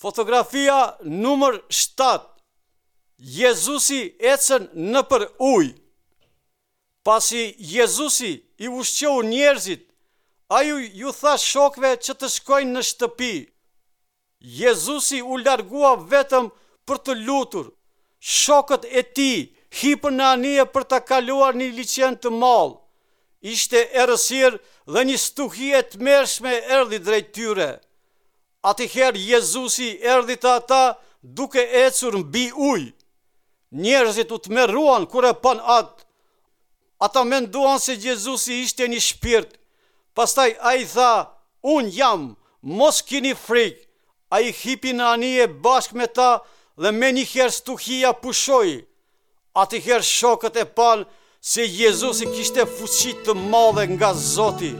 Fotografia numër 7 Jezusi ecën nëpër ujë. Pasi Jezusi i ushqeu njerëzit, ai ju tha shokëve që të shkojnë në shtëpi. Jezusi u largua vetëm për t'u lutur. Shokët e tij hipën në anije për ta kaluar një liqen të madh. Ishte errësirë dhe një stuhi e tmerrshme erdhi drejt tyre. Atëherë Jezusi erdhi te ata duke ecur mbi ujë. Njerëzit u tmerruan kur e panë atë. Ata menduan se Jezusi ishte një shpirt. Pastaj ai tha, Unë jam, mos kini frikë. Ai hipi në anije bashkë me ta dhe menjëherë stuhia pushoi. Atëherë shokët e panë se Jezusi kishte fuqi të madhe nga Zoti.